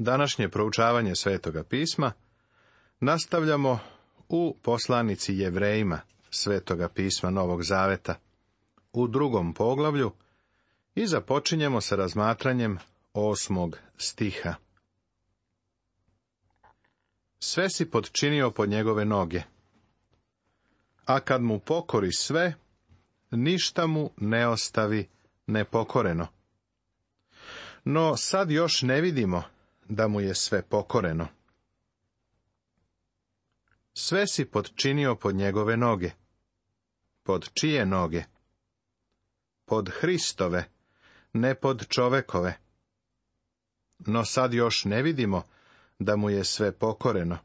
Današnje proučavanje Svetoga pisma nastavljamo u poslanici Jevrejima Svetoga pisma Novog Zaveta u 2. poglavlju i započinjemo sa razmatranjem 8. stiha. Sve si potčinio pod njegove noge, a kad mu pokori sve, ništa mu ne ostavi nepokoreno. No sad još ne vidimo da mu je sve pokoreno. Sve si potčinio pod njegove noge. Pod čije noge? Pod Hristove, ne pod čovekove. No sad još ne vidimo da mu je sve pokoreno.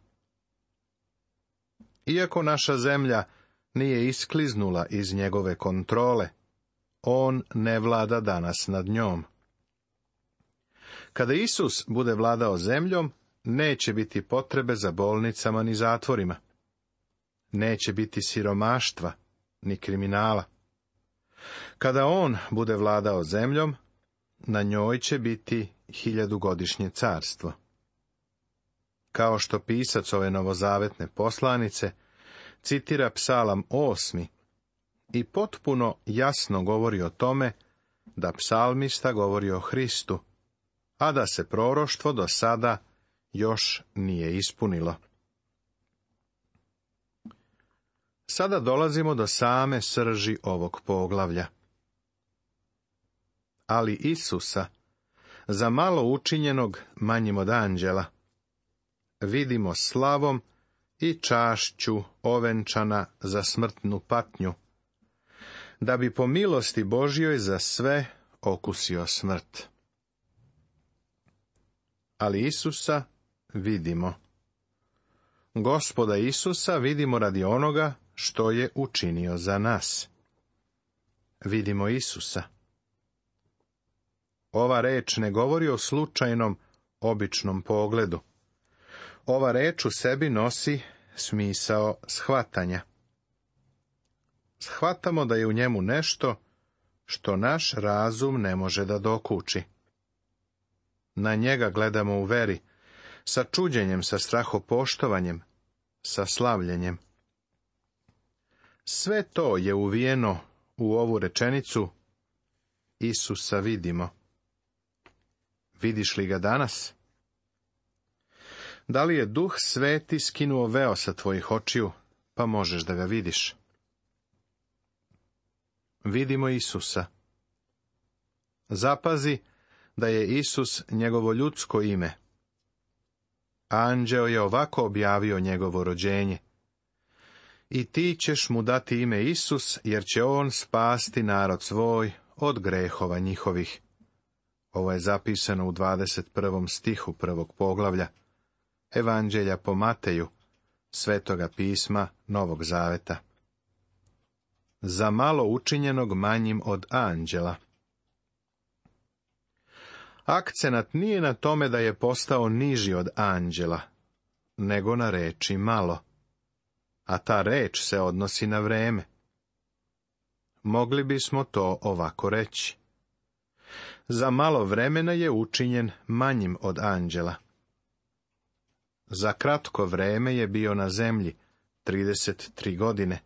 Iako naša zemlja nije iskliznula iz njegove kontrole, on ne vlada danas nad njom. Kada Isus bude vladao zemljom, neće biti potrebe za bolnicama ni zatvorima. Neće biti siromaštva ni kriminala. Kada on bude vladao zemljom, na njoj će biti 1000-godišnje carstvo. Kao što pisac ove novozavetne poslanice citira Psalam 8. i potpuno jasno govori o tome da psalmista govori o Hristu, a da se proroštvo do sada još nije ispunilo. Sada dolazimo do same srži ovog poglavlja. Ali Isusa, za malo učinjenog manjim od anđela, vidimo slavom i čašću ovenčana za smrtnu patnju, da bi po milosti Božjoj za sve okusio smrt. Ali Isusa vidimo. Gospoda Isusa vidimo radi onoga što je učinio za nas. Vidimo Isusa. Ova reč ne govori o slučajnom, običnom pogledu. Ova reč u sebi nosi smisao shvatanja. Shvatamo da je u njemu nešto što naš razum ne može da dokuči. Na njega gledamo u veri, sa čuđenjem, sa strahopoštovanjem, sa slavljenjem. Sve to je uvijeno u ovu rečenicu Isusa vidimo. Vidiš li ga danas? Da li je Duh Sveti skinuo veo sa tvojih očiju, pa možeš da ga vidiš? Vidimo Isusa. Zapazi da je Isus njegovo ljudsko ime. Anđeo je ovako objavio njegovo rođenje. I ti ćeš mu dati ime Isus, jer će on spasti narod svoj od grehova njihovih. Ovo je zapisano u 21. stihu 1. poglavlja Evanđelja po Mateju, Svetoga pisma Novog Zaveta. Za malo učinjenog manjim od anđela. Akcenat nije na tome da je postao niži od anđela, nego na reči malo. A ta reč se odnosi na vreme. Mogli bismo to ovako reći. Za malo vremena je učinjen manjim od anđela. Za kratko vreme je bio na zemlji, 33 godine,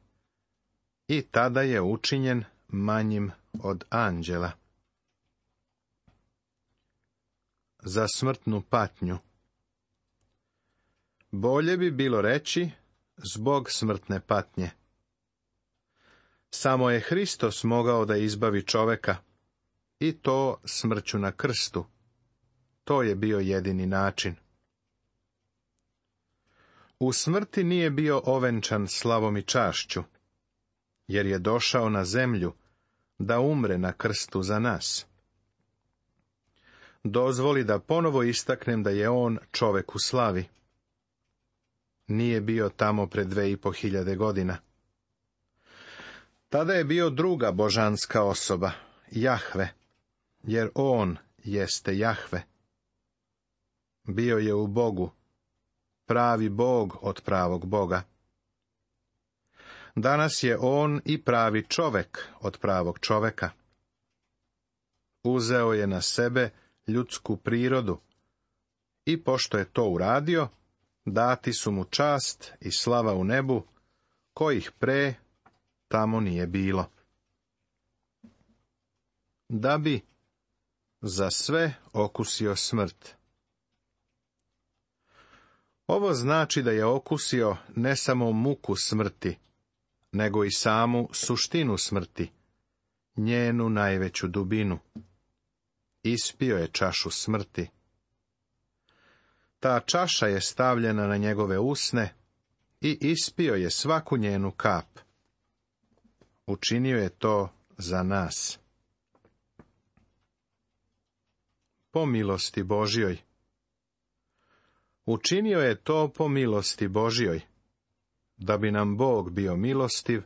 i tada je učinjen manjim od anđela. Za smrtnu patnju. Bolje bi bilo reći zbog smrtne patnje. Samo je Hristos mogao da izbavi čoveka, i to smrću na krstu. To je bio jedini način. U smrti nije bio ovenčan slavom i čašću, jer je došao na zemlju da umre na krstu za nas. Dozvoli da ponovo istaknem da je on čovek u slavi. Nije bio tamo pred 2500 godina. Tada je bio druga božanska osoba, Jahve, jer on jeste Jahve. Bio je u Bogu, pravi Bog od pravog Boga. Danas je on i pravi čovek od pravog čoveka. Uzeo je na sebe ljudsku prirodu i pošto je to uradio, dati su mu čast i slava u nebu, kojih pre tamo nije bilo. Da bi za sve okusio smrt. Ovo znači da je okusio ne samo muku smrti, nego i samu suštinu smrti, njenu najveću dubinu. Ispio je čašu smrti. Ta čaša je stavljena na njegove usne i ispio je svaku njenu kap. Učinio je to za nas. Po milosti Božjoj. Učinio je to po milosti Božjoj, da bi nam Bog bio milostiv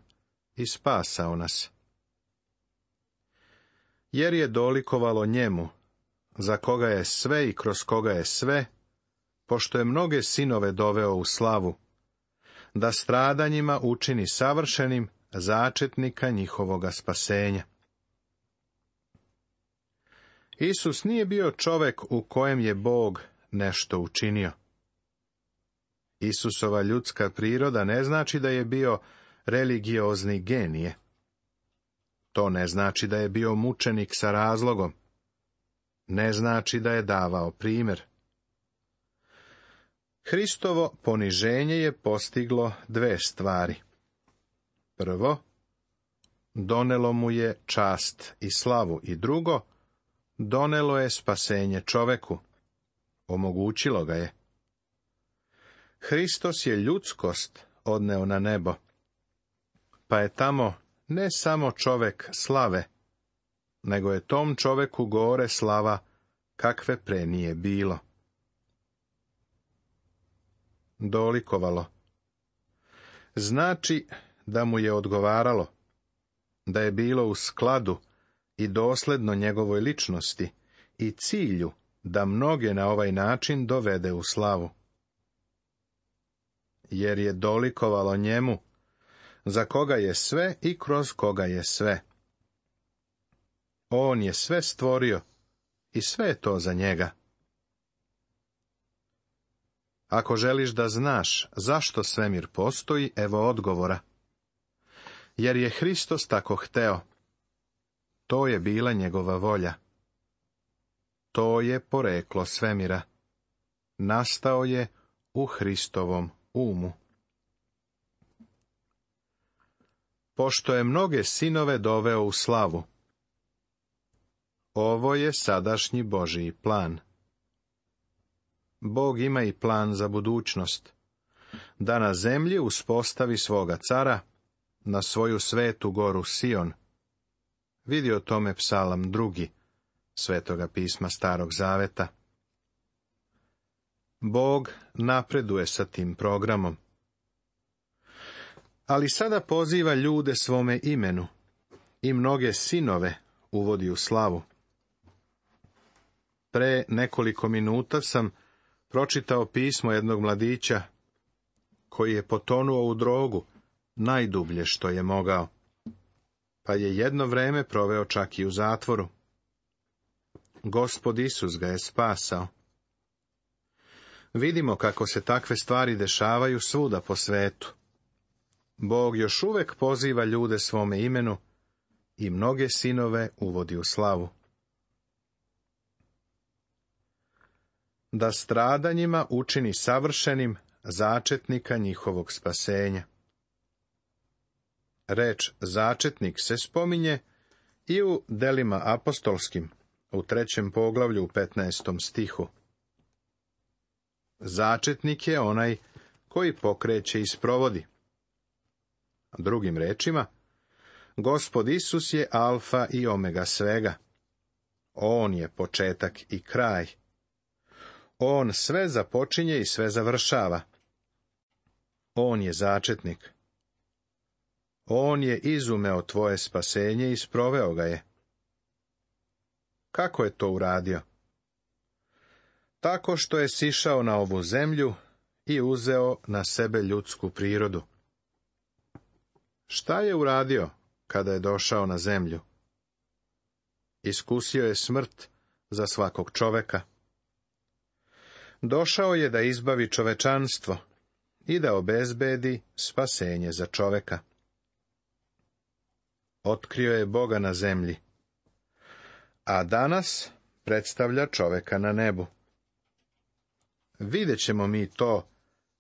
i spasao nas. Jer je dolikovalo njemu, za koga je sve i kroz koga je sve, pošto je mnoge sinove doveo u slavu, da stradanjima učini savršenim začetnika njihovoga spasenja. Isus nije bio čovek u kojem je Bog nešto učinio. Isusova ljudska priroda ne znači da je bio religiozni genije. To ne znači da je bio mučenik sa razlogom. Ne znači da je davao primjer. Hristovo poniženje je postiglo dve stvari. Prvo, donelo mu je čast i slavu, i drugo, donelo je spasenje čoveku. Omogućilo ga je. Hristos je ljudskost odneo na nebo, pa je tamo ne samo čovek slave, nego je tom čoveku gore slava kakve pre nije bilo. Dolikovalo. Znači da mu je odgovaralo, da je bilo u skladu i dosledno njegovoj ličnosti i cilju da mnoge na ovaj način dovede u slavu. Jer je dolikovalo njemu, za koga je sve i kroz koga je sve. On je sve stvorio i sve je to za njega. Ako želiš da znaš zašto svemir postoji, evo odgovora. Jer je Hristos tako hteo. To je bila njegova volja. To je poreklo svemira. Nastao je u Hristovom umu. Pošto je mnoge sinove doveo u slavu. Ovo je sadašnji Božji plan. Bog ima i plan za budućnost. Da na zemlji uspostavi svoga cara, na svoju svetu goru Sion. Vidi o tome Psalam 2. Svetoga pisma Starog Zaveta. Bog napreduje sa tim programom. Ali sada poziva ljude svome imenu i mnoge sinove uvodi u slavu. Pre nekoliko minuta sam pročitao pismo jednog mladića koji je potonuo u drogu najdublje što je mogao, pa je jedno vreme proveo čak i u zatvoru. Gospod Isus ga je spasao. Vidimo kako se takve stvari dešavaju svuda po svetu. Bog još uvek poziva ljude svome imenu i mnoge sinove uvodi u slavu. Da stradanjima učini savršenim začetnika njihovog spasenja. Reč začetnik se spominje i u delima apostolskim, u 3. poglavlju u 15. stihu. Začetnik je onaj koji pokreće i sprovodi. Drugim rečima, Gospod Isus je alfa i omega svega. On je početak i kraj. On sve započinje i sve završava. On je začetnik. On je izumeo tvoje spasenje i sproveo ga je. Kako je to uradio? Tako što je sišao na ovu zemlju i uzeo na sebe ljudsku prirodu. Šta je uradio kada je došao na zemlju? Iskusio je smrt za svakog čoveka. Došao je da izbavi čovečanstvo i da obezbedi spasenje za čoveka. Otkrio je Boga na zemlji, a danas predstavlja čoveka na nebu. Vidjet ćemo mi to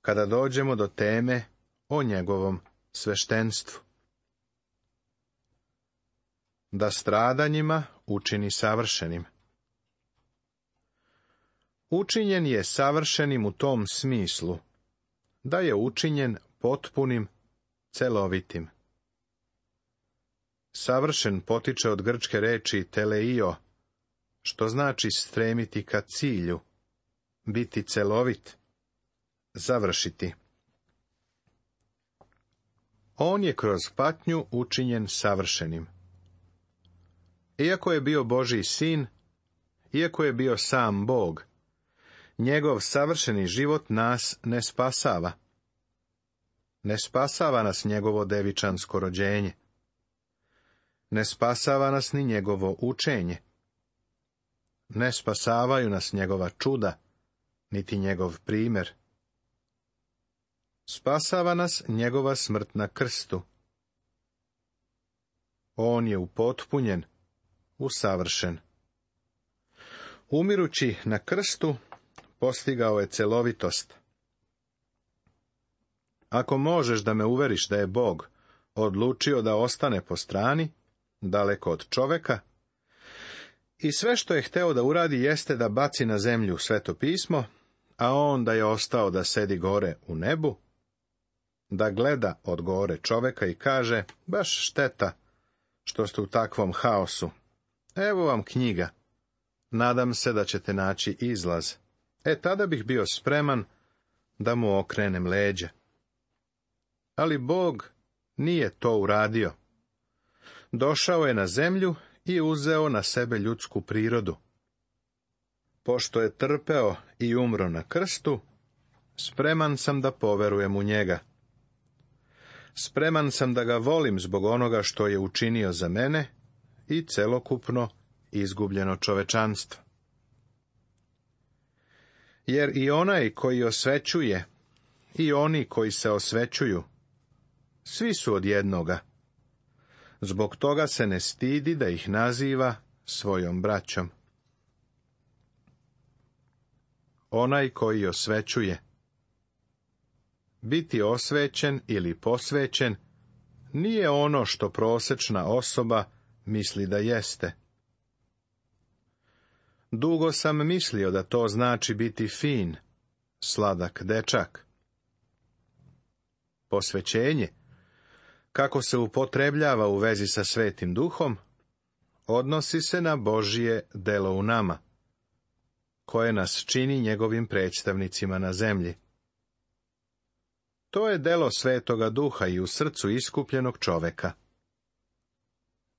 kada dođemo do teme o njegovom sveštenstvu. Da stradanjima učini savršenim. Učinjen je savršenim u tom smislu, da je učinjen potpunim, celovitim. Savršen potiče od grčke reči teleio, što znači stremiti ka cilju, biti celovit, završiti. On je kroz patnju učinjen savršenim. Iako je bio Božji sin, iako je bio sam Bog, njegov savršeni život nas ne spasava. Ne spasava nas njegovo devičansko rođenje. Ne spasava nas ni njegovo učenje. Ne spasavaju nas njegova čuda, niti njegov primjer. Spasava nas njegova smrt na krstu. On je upotpunjen, usavršen. Umirući na krstu, postigao je celovitost. Ako možeš da me uveriš da je Bog odlučio da ostane po strani, daleko od čoveka, i sve što je hteo da uradi jeste da baci na zemlju Sveto pismo, a on da je ostao da sedi gore u nebu, da gleda od gore čoveka i kaže, baš šteta što ste u takvom haosu. Evo vam knjiga. Nadam se da ćete naći izlaz. Tada bih bio spreman da mu okrenem leđa. Ali Bog nije to uradio. Došao je na zemlju i uzeo na sebe ljudsku prirodu. Pošto je trpeo i umro na krstu, spreman sam da poverujem u njega. Spreman sam da ga volim zbog onoga što je učinio za mene i celokupno izgubljeno čovečanstvo. Jer i onaj koji osvećuje, i oni koji se osvećuju, svi su od jednoga. Zbog toga se ne stidi da ih naziva svojom braćom. Onaj koji osvećuje. Biti osvećen ili posvećen nije ono što prosečna osoba misli da jeste. Dugo sam mislio da to znači biti fin, sladak dečak. Posvećenje, kako se upotrebljava u vezi sa Svetim Duhom, odnosi se na Božje delo u nama, koje nas čini njegovim predstavnicima na zemlji. To je delo Svetoga Duha i u srcu iskupljenog čoveka.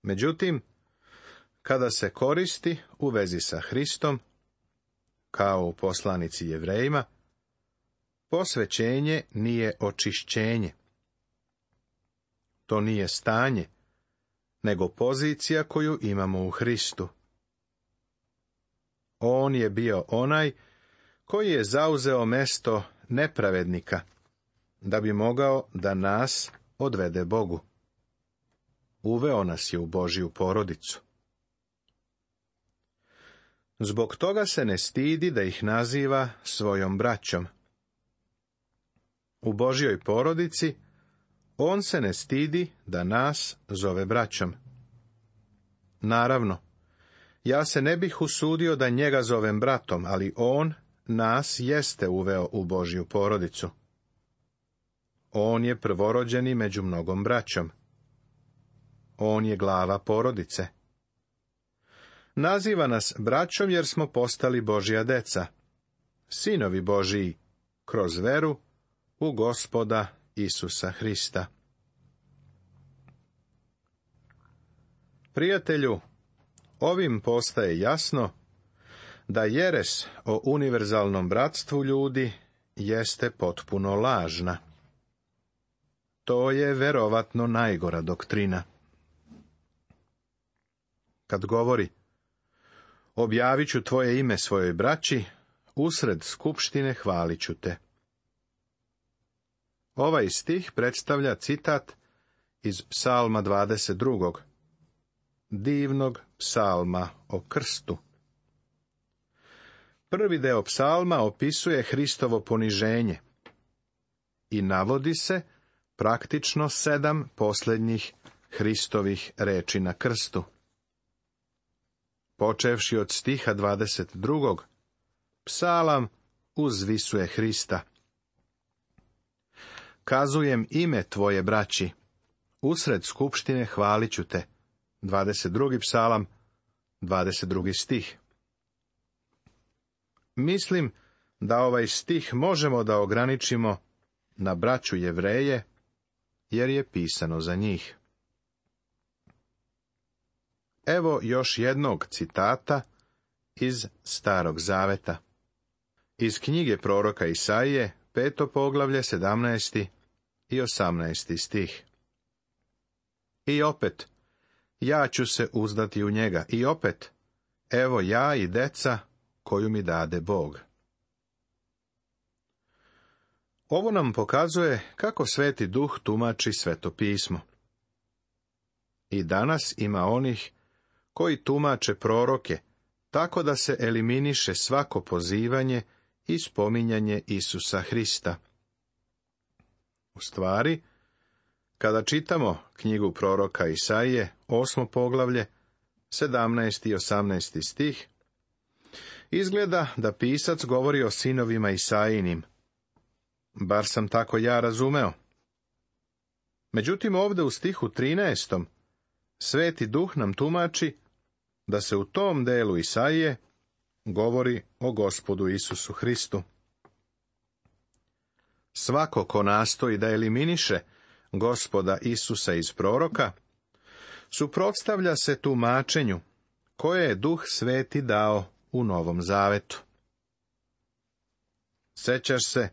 Međutim, kada se koristi u vezi sa Hristom, kao u poslanici Jevrejima, posvećenje nije očišćenje. To nije stanje, nego pozicija koju imamo u Hristu. On je bio onaj koji je zauzeo mesto nepravednika, da bi mogao da nas odvede Bogu. Uveo nas je u Božju porodicu. Zbog toga se ne stidi da ih naziva svojom braćom. U Božjoj porodici on se ne stidi da nas zove braćom. Naravno, ja se ne bih usudio da njega zovem bratom, ali on nas jeste uveo u Božju porodicu. On je prvorođeni među mnogom braćom. On je glava porodice. Naziva nas braćom jer smo postali Božja deca, sinovi Božiji, kroz veru u Gospoda Isusa Hrista. Prijatelju, ovim postaje jasno da jeres o univerzalnom bratstvu ljudi jeste potpuno lažna. To je verovatno najgora doktrina. Kad govori, objavit ću tvoje ime svojoj braći, usred skupštine hvalit ću te. Ovaj stih predstavlja citat iz Psalma 22. divnog psalma o krstu. Prvi deo psalma opisuje Hristovo poniženje i navodi se praktično 7 posljednjih Hristovih reči na krstu. Počevši od stiha 22. psalam uzvisuje Hrista. Kazujem ime tvoje, braći, usred skupštine hvalit ću te. 22. psalam, 22. stih. Mislim da ovaj stih možemo da ograničimo na braću Jevreje, jer je pisano za njih. Evo još jednog citata iz Starog zaveta. Iz knjige proroka Isaije, 5. poglavlje, 17. i 18. stih. I opet, ja ću se uzdati u njega, i opet, evo ja i deca koju mi dade Bog. Ovo nam pokazuje kako Sveti Duh tumači Sveto pismo. I danas ima onih koji tumače proroke tako da se eliminiše svako pozivanje i spominjanje Isusa Hrista. U stvari, kada čitamo knjigu proroka Isaije, 8. poglavlje, 17. i 18. stih, izgleda da pisac govori o sinovima Isaijinim. Bar sam tako ja razumeo. Međutim, ovdje u stihu 13. Sveti Duh nam tumači da se u tom delu Isaije govori o Gospodu Isusu Hristu. Svako ko nastoji da eliminiše Gospoda Isusa iz proroka, suprotstavlja se tumačenju koje je Duh Sveti dao u Novom Zavetu. Sećaš se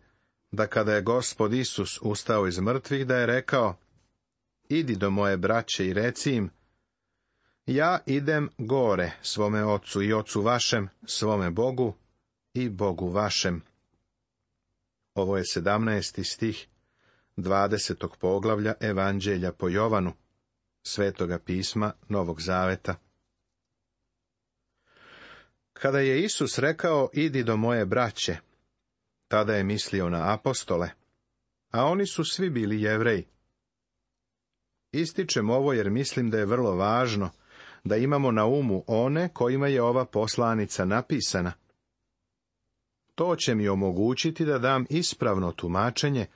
da kada je Gospod Isus ustao iz mrtvih, da je rekao: idi do moje braće i reci im, ja idem gore svome ocu i ocu vašem, svome Bogu i Bogu vašem. Ovo je 17. stih 20. poglavlja Evanđelja po Jovanu, Svetoga pisma Novog Zaveta. Kada je Isus rekao idi do moje braće, tada je mislio na apostole, a oni su svi bili Jevreji. Ističem ovo jer mislim da je vrlo važno da imamo na umu one kojima je ova poslanica napisana. To će mi omogućiti da dam ispravno tumačenje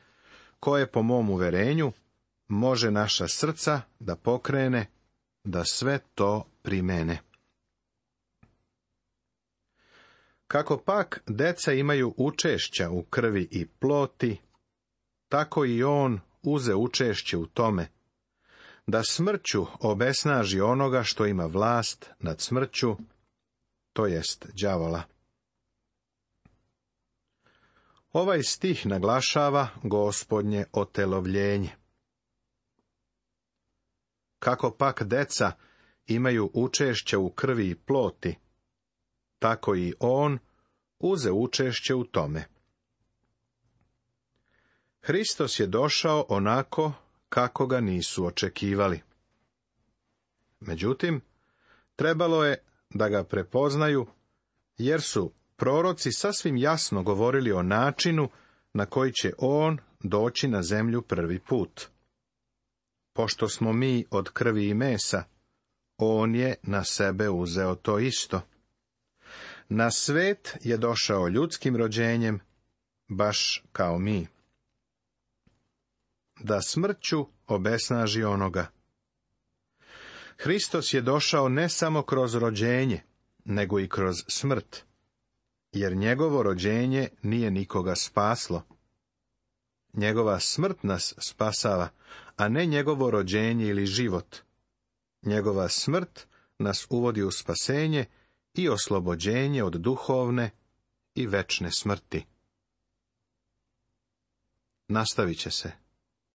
koje po mom uverenju može naša srca da pokrene da sve to primene. Kako pak deca imaju učešća u krvi i ploti, tako i on uze učešće u tome, da smrću obesnaži onoga što ima vlast nad smrću, to jest đavola. Ovaj stih naglašava Gospodnje otelovljenje. Kako pak deca imaju učešće u krvi i ploti, tako i on uze učešće u tome. Hristos je došao onako kako ga nisu očekivali. Međutim, trebalo je da ga prepoznaju, jer su proroci sasvim jasno govorili o načinu na koji će on doći na zemlju prvi put. Pošto smo mi od krvi i mesa, on je na sebe uzeo to isto. Na svet je došao ljudskim rođenjem, baš kao mi. Da smrću obesnaži onoga. Hristos je došao ne samo kroz rođenje, nego i kroz smrt, jer njegovo rođenje nije nikoga spaslo. Njegova smrt nas spasava, a ne njegovo rođenje ili život. Njegova smrt nas uvodi u spasenje i oslobođenje od duhovne i večne smrti. Nastavit će se.